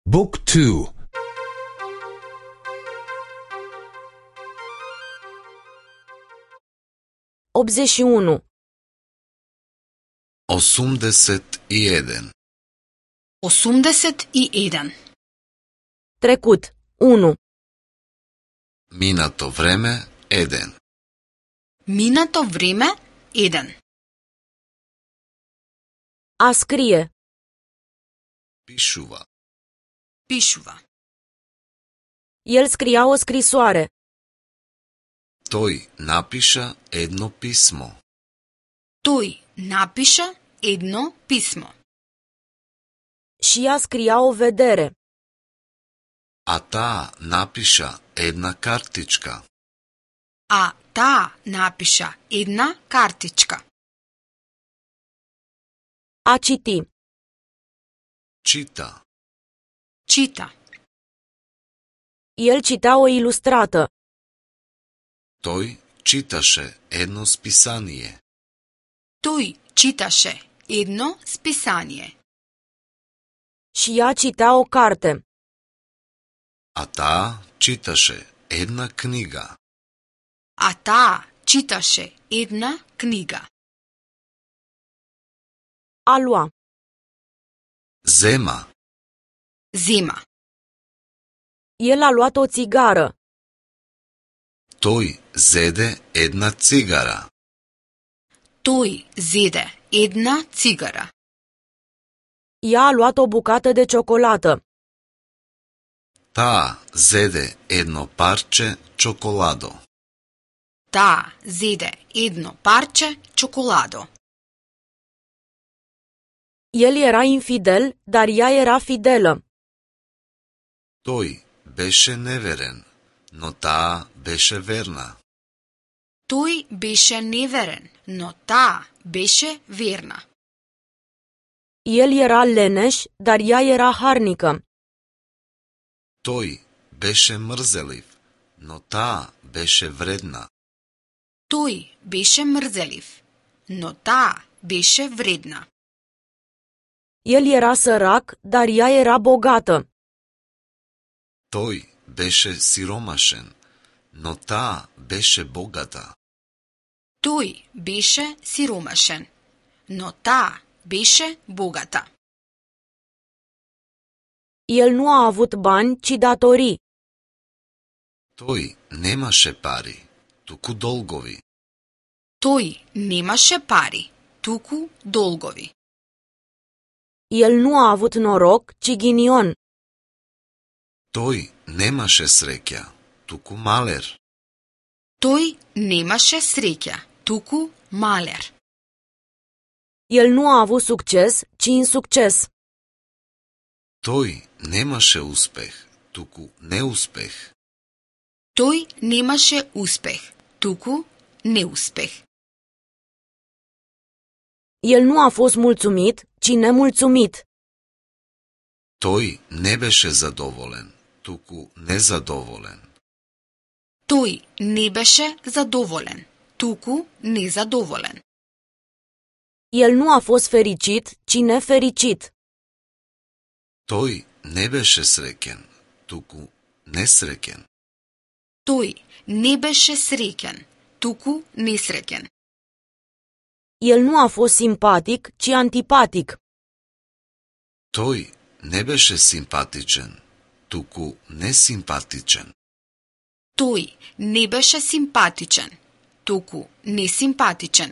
Book 2. 81. 81. 81. Trecut. 1. Минато време 1. Минато време 1. A scrie. Пишува. Пишува. El scria o scrisoare. Тој напиша едно писмо. Тој напиша едно писмо. Și ea scria o vedere. А таа напиша една картичка. А таа напиша една картичка. A citi. Чита. Чита. El citea o ilustrată. Тој читаше едно списание. Тој читаше едно списание. Și ea citea o carte. А таа читаше една книга. А таа читаше една книга. A lua. Зема. Зема. El a luat o țigară. Тој зеде една цигара. Тој зеде една цигара. Ea a luat o bucată de ciocolată. Таа зеде едно парче чоколадо. Таа зеде едно парче чоколадо. El era infidel, dar ea era fidelă. Тој беше неверен, но таа беше верна. Тој беше неверен, но таа беше верна. El era leneș, dar ea era harnică. Тој беше мрзелив, но таа беше вредна. Тој беше мрзелив, но таа беше вредна. El era sărac, dar ea era bogată. Тој беше сиромашен, но таа беше богата. Тој беше сиромашен, но таа беше богата. El nu a avut bani, ci datorii. Тој немаше пари, туку долгови. Тој немаше пари, туку долгови. El nu a avut noroc, ci ghinion. Тој немаше среќа, туку малер. Тој немаше среќа, туку малер. El nu a avut succes, ci insucces. Тој немаше успех, туку неуспех. Тој немаше успех, туку неуспех. El nu a fost mulțumit, ci nemulțumit. Тој не беше задоволен, туку незадоволен. Тој не беше задоволен, туку незадоволен. El nu a fost fericit, ci nefericit. Тој не беше среќен, туку несреќен. Тој не беше среќен, туку несреќен. El nu a fost simpatic, ci antipatic. Тој не беше симпатичен, туку несимпатичен. Тој не беше симпатичен, туку несимпатичен.